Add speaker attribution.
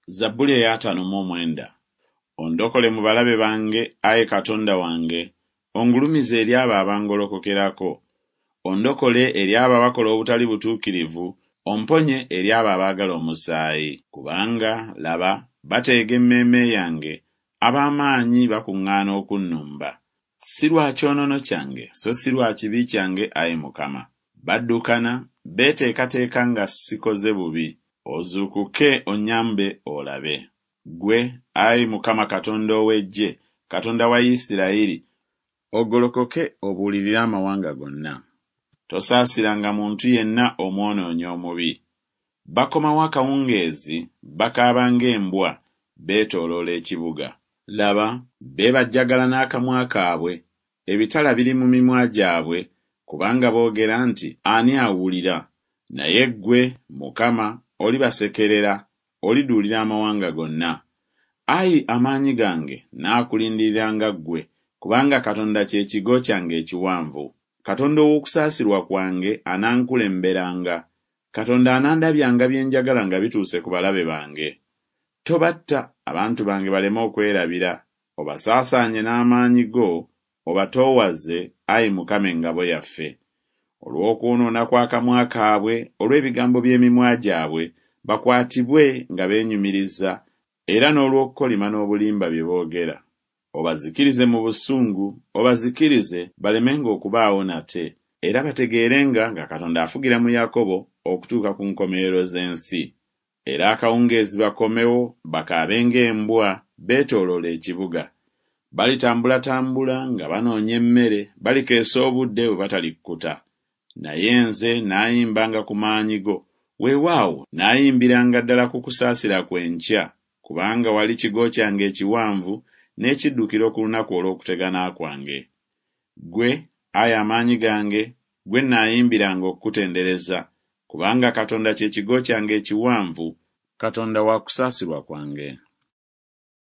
Speaker 1: Zabbuli ey'ataano mu omwenda. Ondokole mu balabe bange, ayi Katonda wange, ongulumize eri abo abangolokokerako. Ondokole eri abo abakola obutali butuukirivu, omponye eri abo abaagala omusaayi. Kubanga, laba, bateega emmeeme yange, ab'amaanyi bakuŋŋaana okunnumba. Si lwa kyonoono kyange, so si lwa kibi kyange, ayi Mukama. Baddukana, beeteekateeka nga sikoze bubi. Ozuukuke onnyambe olabe. Ggwe, ayi Mukama Katonda ow'Eggye, Katonda wa Isirayiri, ogolokoke obuulirire amawanga gonna. Tosaasiranga muntu yenna omwonoonyi omubi. Bakomawo akawungeezi, bakaaba ng'embwa, beetooloola ekibuga. Laba, beebajjagala n'akamwa kaabwe, ebitala biri mu mimwa gyabwe, kubanga boogera nti Ani awulira? Naye ggwe, Mukama, olibasekerera, oliduulira amawanga gonna. Ayi amaanyi gange, naakulindiriranga ggwe, kubanga Katonda kye kigo kyange ekiwanvu. Katonda ow'okusaasirwa kwange anankulemberanga, Katonda anandabyanga bye njagala nga bituuse ku balabe bange. Tobatta, abantu bange baleme okwerabira, obasaasaanye n'amaanyi go, obatoowaze, ayi Mukama engabo yaffe. Olw'okwonoona kw'akamwa kaabwe, olw'ebigambo by'emimwa gyabwe, bakwatibwe nga beenyumiriza, era n'olw'okukolima n'obulimba bye boogera. Obazikirize mu busungu, obazikirize, balemenga okubaawo nate, era bategeerenga nga Katonda afugira mu Yakobo okutuuka ku nkomerero z'ensi. Era akawungeezi bakomewo, bakaabe ng'embwa, beetooloole ekibuga. Balitambulatambula nga banoonya emmere, balikeesa obudde bwe batalikkuta. Naye nze naayimbanga ku maanyi go, weewaawo, naayimbiranga ddala ku kusaasira kwo enkya, kubanga wali kigo kyange ekiwanvu n'ekiddukiro ku lunaku olw'okutegana kwange. Ggwe, ayi amaanyi gange, ggwe nnaayimbiranga okukutendereza, kubanga Katonda kye kigo kyange ekiwanvu, Katonda wa kusaasirwa kwange.